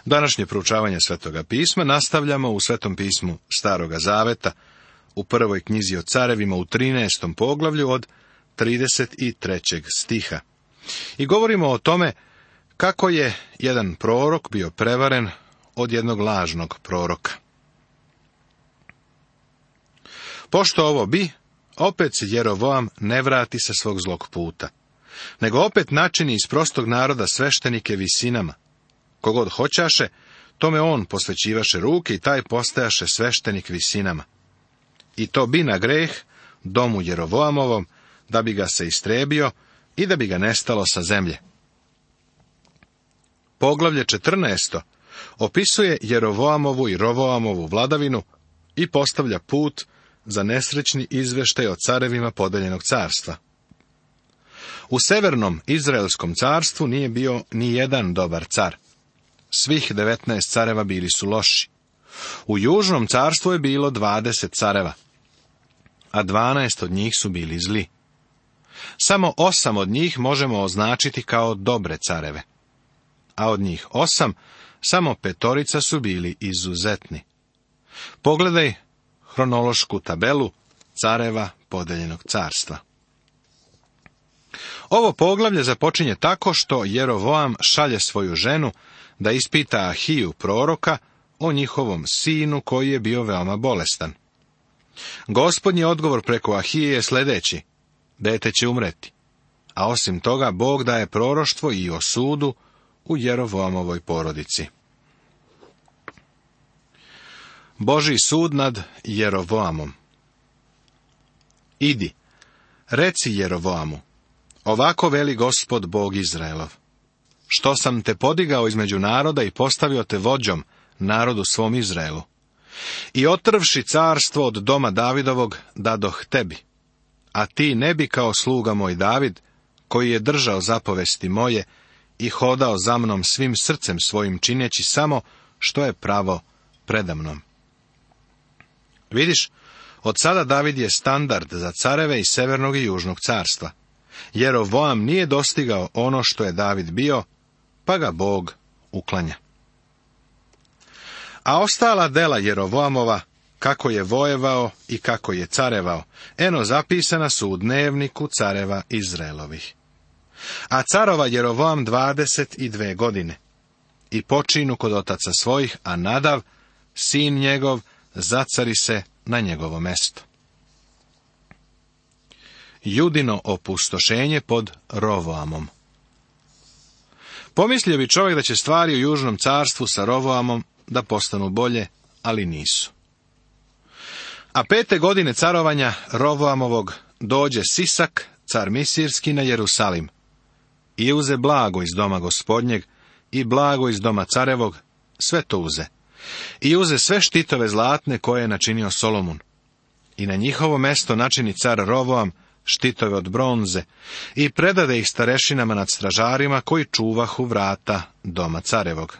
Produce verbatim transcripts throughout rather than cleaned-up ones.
Današnje proučavanje Svetoga pisma nastavljamo u Svetom pismu Staroga zaveta, u prvoj knjizi o carevima u trinaestom poglavlju od trideset trećeg stiha. I govorimo o tome kako je jedan prorok bio prevaren od jednog lažnog proroka. Pošto ovo bi, opet se Jerovoam ne vrati sa svog zlog puta, nego opet načini iz prostog naroda sveštenike visinama. Kogod hoćaše, tome on posvećivaše ruke i taj postajaše sveštenik visinama. I to bi na greh domu Jerovoamovom, da bi ga se istrebio i da bi ga nestalo sa zemlje. Poglavlje četrnaesto opisuje Jerovoamovu i Rovoamovu vladavinu i postavlja put za nesrećni izveštaj o carevima podeljenog carstva. U severnom Izraelskom carstvu nije bio ni jedan dobar car. Svih devetnaest careva bili su loši. U južnom carstvu je bilo dvadeset careva, a dvanaest od njih su bili zli. Samo osam od njih možemo označiti kao dobre careve, a od njih osam samo petorica su bili izuzetni. Pogledaj hronološku tabelu careva podeljenog carstva. Ovo poglavlje započinje tako što Jerovoam šalje svoju ženu da ispita Ahiju proroka o njihovom sinu koji je bio veoma bolestan. Gospodnji odgovor preko Ahije je sljedeći: dete će umreti. A osim toga, Bog daje proroštvo i o sudu u Jerovoamovoj porodici. Božji sud nad Jerovoamom. Idi, reci Jerovoamu, ovako veli Gospod Bog Izraelov: što sam te podigao između naroda i postavio te vođom narodu svom Izraelu. I otrvši carstvo od doma Davidovog dadoh tebi, a ti ne bi kao sluga moj David, koji je držao zapovesti moje i hodao za mnom svim srcem svojim, čineći samo što je pravo predamnom. Vidiš, od sada David je standard za careve iz severnog i južnog carstva. Jerovoam nije dostigao ono što je David bio, pa ga Bog uklanja. A ostala dela Jerovoamova, kako je vojevao i kako je carevao, eno zapisana su u dnevniku careva Izraelovih. A carova Jerovoam dvadeset i dve godine. I počinu kod otaca svojih, a Nadav, sin njegov, zacari se na njegovo mesto. Judino opustošenje pod Rovoamom. Pomislio bi čovjek da će stvari u južnom carstvu sa Rovoamom da postanu bolje, ali nisu. A pete godine carovanja Rovoamovog dođe Sisak, car Misirski, na Jerusalim i uze blago iz doma gospodnjeg i blago iz doma carevog, sve to uze. I uze sve štitove zlatne koje je načinio Solomun. I na njihovo mesto načini car Rovoam štitove od bronze i predade ih starešinama nad stražarima koji čuvahu vrata doma carevog.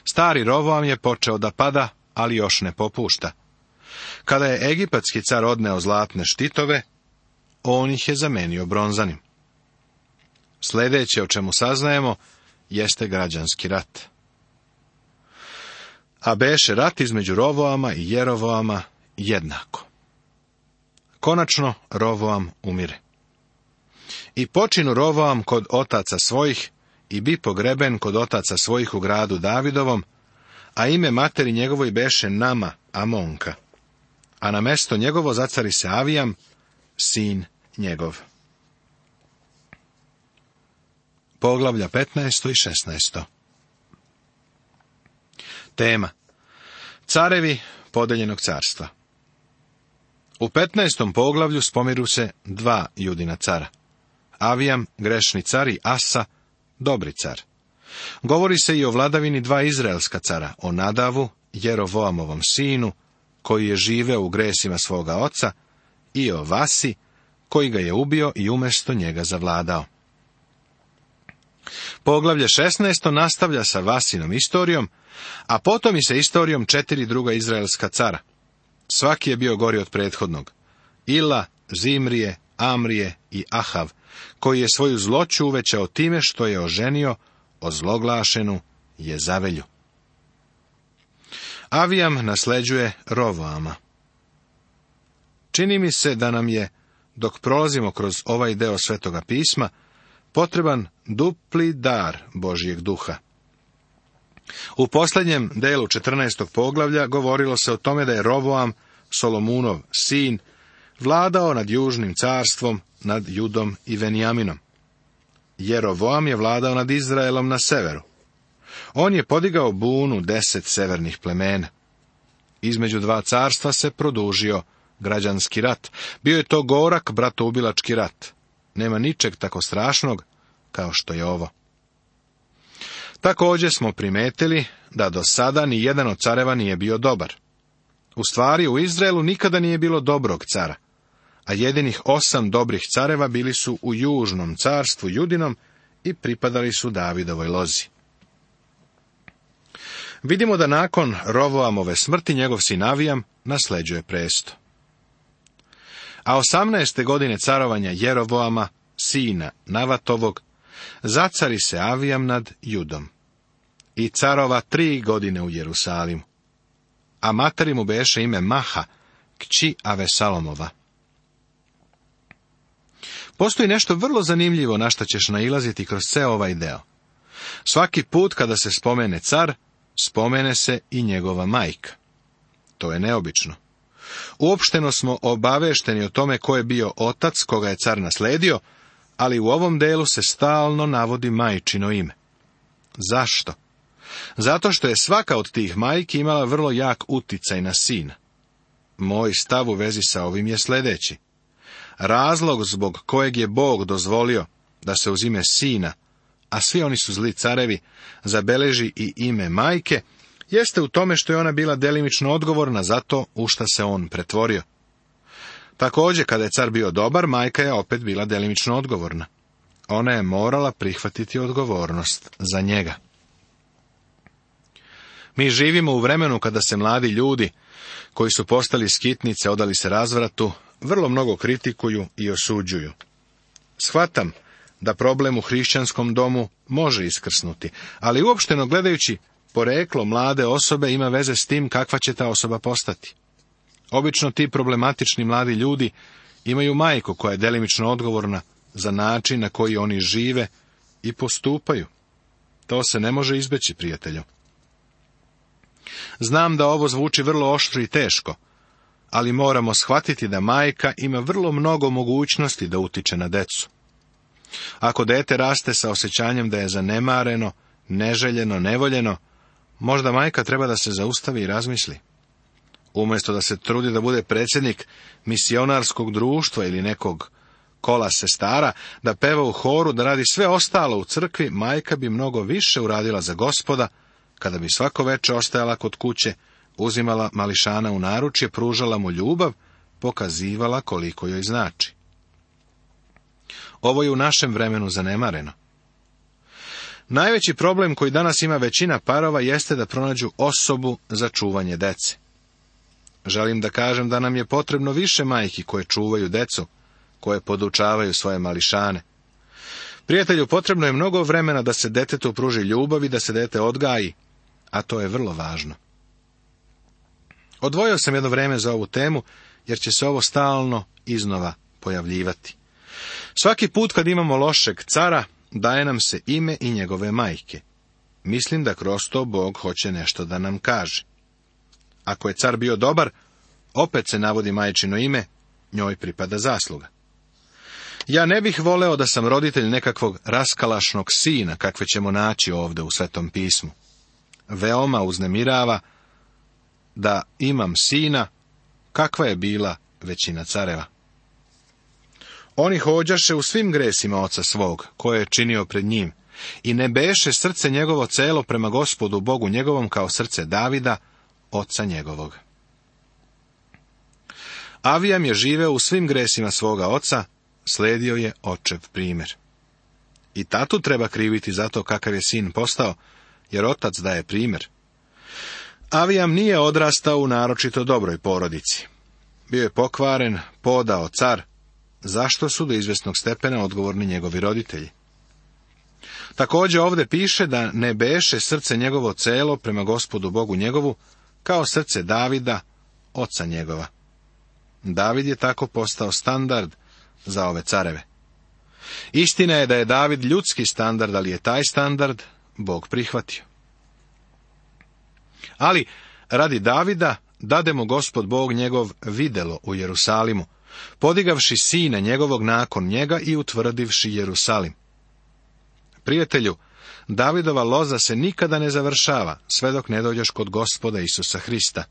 Stari Rovoam je počeo da pada, ali još ne popušta. Kada je egipatski car odneo zlatne štitove, on ih je zamenio bronzanim. Sljedeće o čemu saznajemo jeste građanski rat. A beše rat između Rovoama i Jerovoama jednako. Konačno Rovoam umire. I počinu Rovoam kod otaca svojih i bi pogreben kod otaca svojih u gradu Davidovom, a ime materi njegovoj beše Nama, Amonka, a na mesto njegovo zacari se Avijam, sin njegov. Poglavlja petnaesto i šesnaesto. Tema: carevi podeljenog carstva. U petnaestom poglavlju spomiru se dva Judina cara: Avijam, grešni car, i Asa, dobri car. Govori se i o vladavini dva izraelska cara, o Nadavu, Jerovoamovom sinu, koji je živeo u gresima svoga oca, i o Vasi, koji ga je ubio i umjesto njega zavladao. Poglavlje šesnaesto nastavlja sa Vasinom istorijom, a potom i sa istorijom četiri druga izraelska cara. Svaki je bio gori od prethodnog: Ila, Zimrije, Amrije i Ahav, koji je svoju zloću uvećao time što je oženio ozloglašenu Jezavelju. Avijam nasleđuje Rovoama. Čini mi se da nam je, dok prolazimo kroz ovaj deo Svetoga pisma, potreban dupli dar Božjeg duha. U posljednjem delu četrnaestog poglavlja govorilo se o tome da je Rovoam, Solomunov sin, vladao nad južnim carstvom, nad Judom i Venjaminom. Jerovoam je vladao nad Izraelom na severu. On je podigao bunu deset severnih plemena. Između dva carstva se produžio građanski rat. Bio je to gorak bratoubilački rat. Nema ničeg tako strašnog kao što je ovo. Također smo primetili da do sada ni jedan od careva nije bio dobar. U stvari, u Izraelu nikada nije bilo dobrog cara, a jedinih osam dobrih careva bili su u južnom carstvu Judinom i pripadali su Davidovoj lozi. Vidimo da nakon Rovoamove smrti njegov sin Avijam nasleđuje presto. A osamnaeste godine carovanja Jerovoama, sina Navatovog, zacari se Avijam nad Judom i carova tri godine u Jerusalimu. A materi mu beše ime Maha, kći Avesalomova. Postoji nešto vrlo zanimljivo na što ćeš nailaziti kroz ceo ovaj deo. Svaki put kada se spomene car, spomene se i njegova majka. To je neobično. Uopšteno smo obavešteni o tome ko je bio otac koga je car nasledio, ali u ovom delu se stalno navodi majčino ime. Zašto? Zato što je svaka od tih majki imala vrlo jak uticaj na sina. Moj stav u vezi sa ovim je sljedeći. Razlog zbog kojeg je Bog dozvolio da se uz ime sina, a svi oni su zli carevi, zabeleži i ime majke, jeste u tome što je ona bila delimično odgovorna za to u šta se on pretvorio. Također, kada je car bio dobar, majka je opet bila delimično odgovorna. Ona je morala prihvatiti odgovornost za njega. Mi živimo u vremenu kada se mladi ljudi, koji su postali skitnice, odali se razvratu, vrlo mnogo kritikuju i osuđuju. Shvatam da problem u hrišćanskom domu može iskrsnuti, ali uopšteno gledajući, poreklo mlade osobe ima veze s tim kakva će ta osoba postati. Obično ti problematični mladi ljudi imaju majku koja je delimično odgovorna za način na koji oni žive i postupaju. To se ne može izbeći, prijatelju. Znam da ovo zvuči vrlo oštro i teško, ali moramo shvatiti da majka ima vrlo mnogo mogućnosti da utiče na decu. Ako dete raste sa osjećanjem da je zanemareno, neželjeno, nevoljeno, možda majka treba da se zaustavi i razmisli. Umjesto da se trudi da bude predsjednik misionarskog društva ili nekog kola sestara, da peva u horu, da radi sve ostalo u crkvi, majka bi mnogo više uradila za Gospoda, kada bi svako veče ostajala kod kuće, uzimala mališana u naručje, pružala mu ljubav, pokazivala koliko joj znači. Ovo je u našem vremenu zanemareno. Najveći problem koji danas ima većina parova jeste da pronađu osobu za čuvanje dece. Želim da kažem da nam je potrebno više majki koje čuvaju decu, koje podučavaju svoje mališane. Prijatelju, potrebno je mnogo vremena da se detetu pruži ljubav i da se dete odgaji, a to je vrlo važno. Odvojio sam jedno vreme za ovu temu, jer će se ovo stalno iznova pojavljivati. Svaki put kad imamo lošeg cara, daje nam se ime i njegove majke. Mislim da kroz to Bog hoće nešto da nam kaže. Ako je car bio dobar, opet se navodi majčino ime, njoj pripada zasluga. Ja ne bih voleo da sam roditelj nekakvog raskalašnog sina, kakve ćemo naći ovdje u Svetom pismu. Veoma uznemirava da imam sina, kakva je bila većina careva. Oni hođaše u svim gresima oca svog, koje je činio pred njim, i ne beše srce njegovo celo prema Gospodu Bogu njegovom kao srce Davida, oca njegovog. Avijam je živeo u svim gresima svoga oca, sledio je očev primjer. I tatu treba kriviti za to kakav je sin postao, jer otac daje primjer. Avijam nije odrastao u naročito dobroj porodici. Bio je pokvaren, podao car, zašto su do izvesnog stepena odgovorni njegovi roditelji. Također ovdje piše da ne beše srce njegovo celo prema Gospodu Bogu njegovu, kao srce Davida, oca njegova. David je tako postao standard za ove careve. Istina je da je David ljudski standard, ali je taj standard Bog prihvatio. Ali, radi Davida, dade mu Gospod Bog njegov videlo u Jerusalimu, podigavši sina njegovog nakon njega i utvrdivši Jerusalim. Prijatelju, Davidova loza se nikada ne završava, sve dok ne dođeš kod Gospoda Isusa Hrista.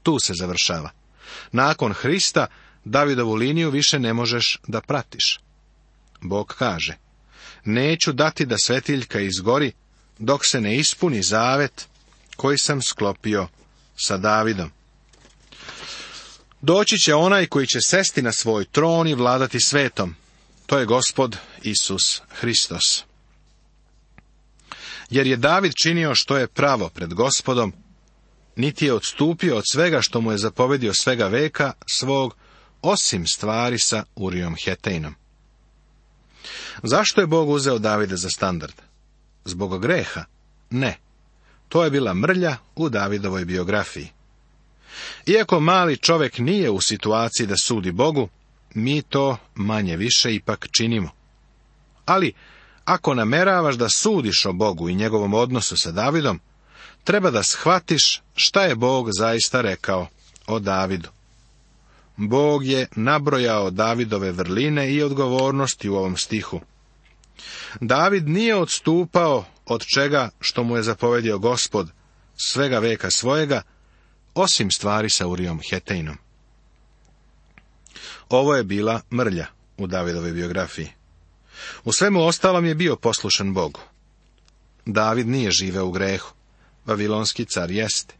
Tu se završava. Nakon Hrista, Davidovu liniju više ne možeš da pratiš. Bog kaže, neću dati da svetiljka izgori, dok se ne ispuni zavet koji sam sklopio sa Davidom. Doći će onaj koji će sesti na svoj tron i vladati svetom. To je Gospod Isus Hristos. Jer je David činio što je pravo pred Gospodom, niti je odstupio od svega što mu je zapovedio svega veka svog, osim stvari sa Urijom Hetejnom. Zašto je Bog uzeo Davida za standard? Zbog greha? Ne. To je bila mrlja u Davidovoj biografiji. Iako mali čovjek nije u situaciji da sudi Bogu, mi to manje više ipak činimo. Ali, ako nameravaš da sudiš o Bogu i njegovom odnosu sa Davidom, treba da shvatiš šta je Bog zaista rekao o Davidu. Bog je nabrojao Davidove vrline i odgovornosti u ovom stihu. David nije odstupao od čega što mu je zapovedio Gospod svega veka svojega, osim stvari sa Urijom Hetejnom. Ovo je bila mrlja u Davidovoj biografiji. U svemu ostalom je bio poslušan Bogu. David nije živeo u grehu, vavilonski car jeste.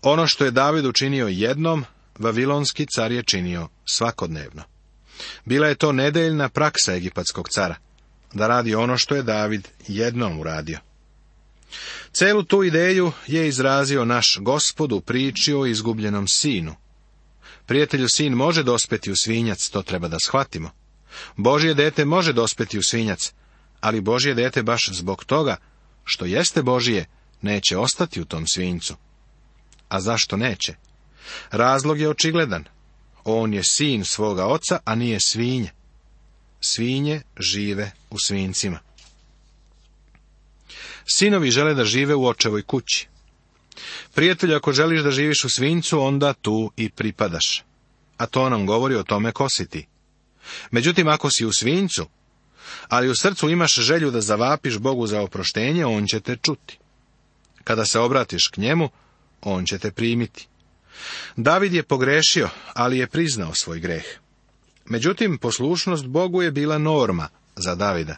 Ono što je David učinio jednom, vavilonski car je činio svakodnevno. Bila je to nedeljna praksa egipatskog cara, da radi ono što je David jednom uradio. Celu tu ideju je izrazio naš Gospod u priči o izgubljenom sinu. Prijatelju, sin može dospeti u svinjac, to treba da shvatimo. Božje dete može dospeti u svinjac, ali Božje dete baš zbog toga što jeste Božije, neće ostati u tom svinjcu. A zašto neće? Razlog je očigledan. On je sin svoga oca, a nije svinje. Svinje žive u svinjcima. Sinovi žele da žive u očevoj kući. Prijatelju, ako želiš da živiš u svinjcu, onda tu i pripadaš. A to nam govori o tome ko si ti. Međutim, ako si u svinjcu, ali u srcu imaš želju da zavapiš Bogu za oproštenje, on će te čuti. Kada se obratiš k njemu, on će te primiti. David je pogrešio, ali je priznao svoj greh. Međutim, poslušnost Bogu je bila norma za Davida.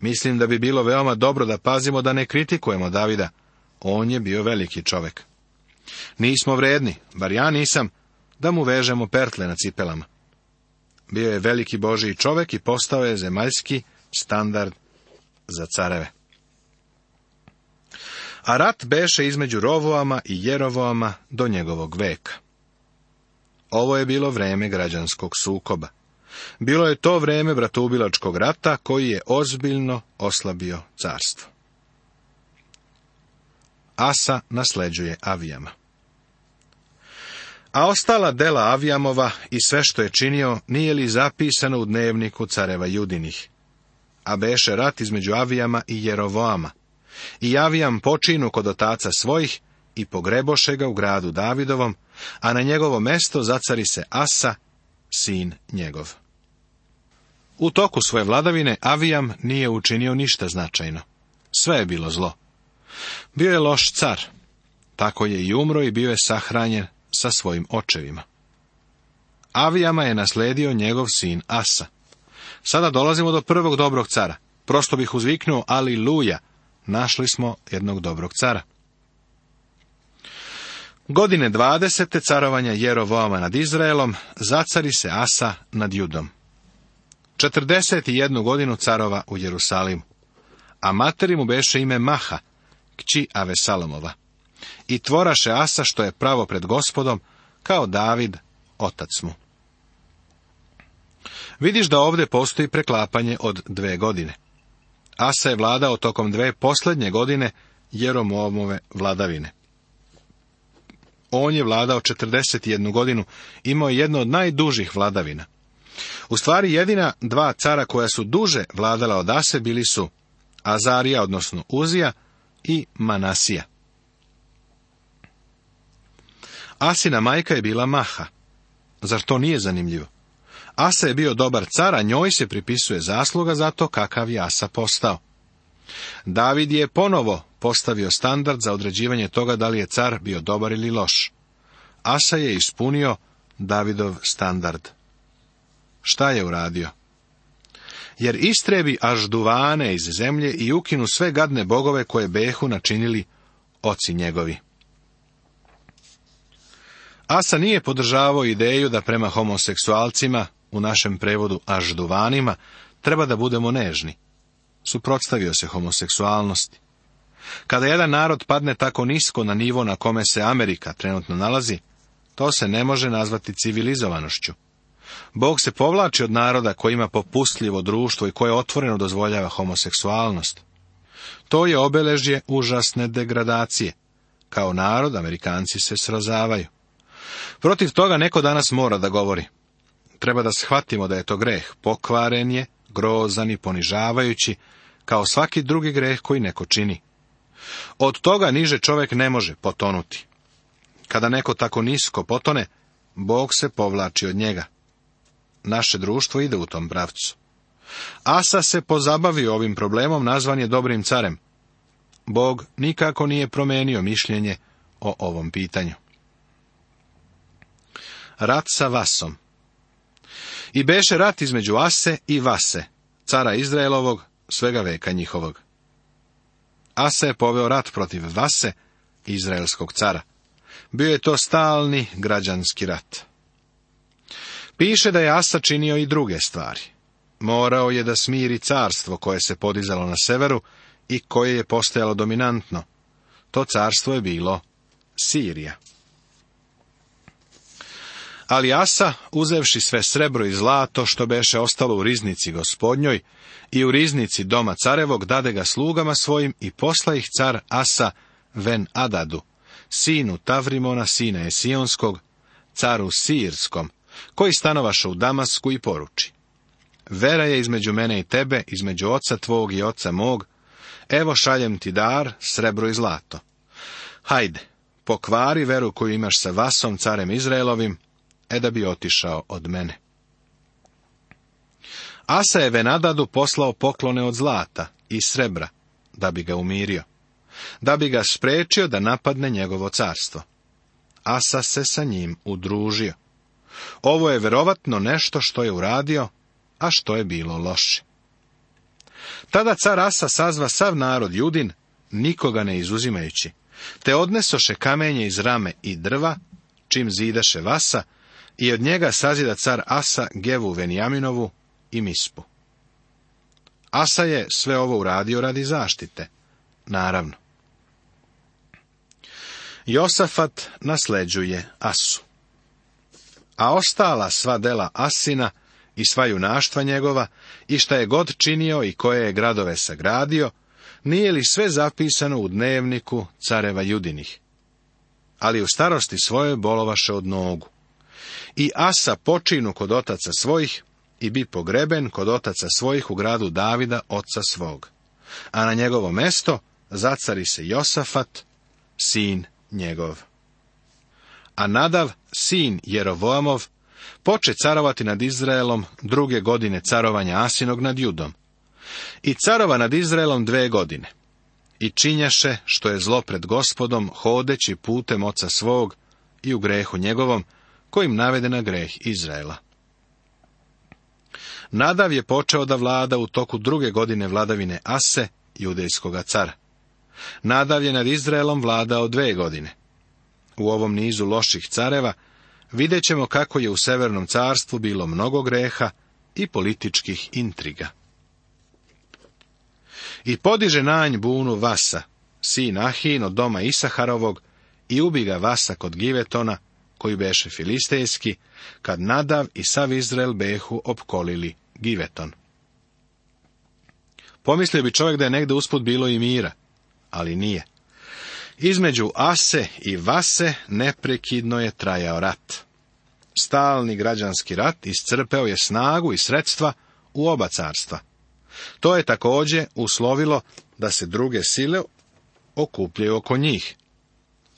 Mislim da bi bilo veoma dobro da pazimo da ne kritikujemo Davida. On je bio veliki čovjek. Nismo vredni, bar ja nisam, da mu vežemo pertle na cipelama. Bio je veliki Božji čovjek i postao je zemaljski standard za careve. A rat beše između Rovoama i Jerovoama do njegovog veka. Ovo je bilo vreme građanskog sukoba. Bilo je to vreme bratoubilačkog rata koji je ozbiljno oslabio carstvo. Asa nasleđuje Avijama. A ostala dela Avijamova i sve što je činio, nije li zapisano u dnevniku careva Judinih? A beše rat između Avijama i Jerovoama. I Avijam počinu kod otaca svojih i pogreboše ga u gradu Davidovom, a na njegovo mesto zacari se Asa, sin njegov. U toku svoje vladavine Avijam nije učinio ništa značajno. Sve je bilo zlo. Bio je loš car. Tako je i umro i bio je sahranjen sa svojim očevima. Avijama je nasledio njegov sin Asa. Sada dolazimo do prvog dobrog cara. Prosto bih uzviknuo aliluja. Našli smo jednog dobrog cara. Godine dvadesete carovanja Jerovoama nad Izraelom, zacari se Asa nad Judom. Četrdeset i jednu godinu carova u Jerusalimu. A materi mu beše ime Maha, kći Avesalomova. I tvoraše Asa što je pravo pred Gospodom, kao David, otac mu. Vidiš da ovdje postoji preklapanje od dve godine. Asa je vladao tokom dve posljednje godine Jeroboamove vladavine. On je vladao četrdeset jednu godinu, imao je jedno od najdužih vladavina. U stvari jedina dva cara koja su duže vladala od Ase bili su Azarija, odnosno Uzija, i Manasija. Asina majka je bila Maha. Zar to nije zanimljivo? Asa je bio dobar car, a njoj se pripisuje zasluga za to kakav je Asa postao. David je ponovo postavio standard za određivanje toga da li je car bio dobar ili loš. Asa je ispunio Davidov standard. Šta je uradio? Jer istrebi Ažduvane iz zemlje i ukinu sve gadne bogove koje behu načinili oci njegovi. Asa nije podržavao ideju da prema homoseksualcima, u našem prevodu Ažduvanima, treba da budemo nežni. Suprotstavio se homoseksualnosti. Kada jedan narod padne tako nisko na nivo na kome se Amerika trenutno nalazi, to se ne može nazvati civilizovanošću. Bog se povlači od naroda koji ima popustljivo društvo i koje otvoreno dozvoljava homoseksualnost. To je obeležje užasne degradacije. Kao narod, Amerikanci se srozavaju. Protiv toga neko danas mora da govori. Treba da shvatimo da je to greh, pokvaren je, grozan i ponižavajući, kao svaki drugi greh koji neko čini. Od toga niže čovjek ne može potonuti. Kada neko tako nisko potone, Bog se povlači od njega. Naše društvo ide u tom pravcu. Asa se pozabavio ovim problemom, nazvan je dobrim carem. Bog nikako nije promenio mišljenje o ovom pitanju. Rat sa Vasom. I beše rat između Ase i Vase, cara Izraelovog, svega veka njihovog. Asa je poveo rat protiv Vase, izraelskog cara. Bio je to stalni građanski rat. Piše da je Asa činio i druge stvari. Morao je da smiri carstvo koje se podizalo na severu i koje je postajalo dominantno. To carstvo je bilo Sirija. Ali Asa, uzevši sve srebro i zlato što beše ostalo u riznici gospodnjoj i u riznici doma carevog, dade ga slugama svojim i posla ih car Asa Ven Adadu, sinu Tavrimona, sina Esionskog, caru Sirskom, koji stanovaše u Damasku, i poruči: vera je između mene i tebe, između oca tvog i oca mog, evo šaljem ti dar, srebro i zlato. Hajde, pokvari veru koju imaš sa Vasom, carem Izraelovim, e da bi otišao od mene. Asa je Venadadu poslao poklone od zlata i srebra, da bi ga umirio, da bi ga sprečio da napadne njegovo carstvo. Asa se sa njim udružio. Ovo je verovatno nešto što je uradio, a što je bilo loše. Tada car Asa sazva sav narod Judin, nikoga ne izuzimajući, te odnesoše kamenje iz rame i drva, čim zidaše Vasa, i od njega sazida car Asa Gevu Venjaminovu i Mispu. Asa je sve ovo uradio radi zaštite, naravno. Josafat nasleđuje Asu. A ostala sva dela Asina i sva junaštva njegova, i šta je god činio i koje je gradove sagradio, nije li sve zapisano u dnevniku careva Judinih? Ali u starosti svojoj bolovaše od nogu. I Asa počinu kod otaca svojih i bi pogreben kod otaca svojih u gradu Davida, oca svog. A na njegovo mesto zacari se Josafat, sin njegov. A Nadav, sin Jerovoamov, poče carovati nad Izraelom druge godine carovanja Asinog nad Judom. I carova nad Izraelom dve godine. I činjaše što je zlo pred Gospodom, hodeći putem oca svog i u grehu njegovom, kojim navede na greh Izraela. Nadav je počeo da vlada u toku druge godine vladavine Ase, judejskoga cara. Nadav je nad Izraelom vladao dve godine. U ovom nizu loših careva vidjet ćemo kako je u Severnom carstvu bilo mnogo greha i političkih intriga. I podiže nanj bunu Vasa, sin Ahin od doma Isaharovog, i ubi ga Vasa kod Givetona, koji beše filistejski, kad Nadav i sav Izrael behu opkolili Giveton. Pomislio bi čovjek da je negde usput bilo i mira, ali nije. Između Ase i Vase neprekidno je trajao rat. Stalni građanski rat iscrpeo je snagu i sredstva u oba carstva. To je također uslovilo da se druge sile okupljaju oko njih.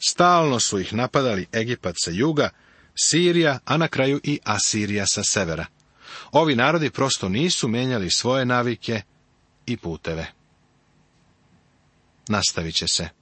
Stalno su ih napadali Egipat sa juga, Sirija, a na kraju i Asirija sa severa. Ovi narodi prosto nisu menjali svoje navike i puteve. Nastavit će se.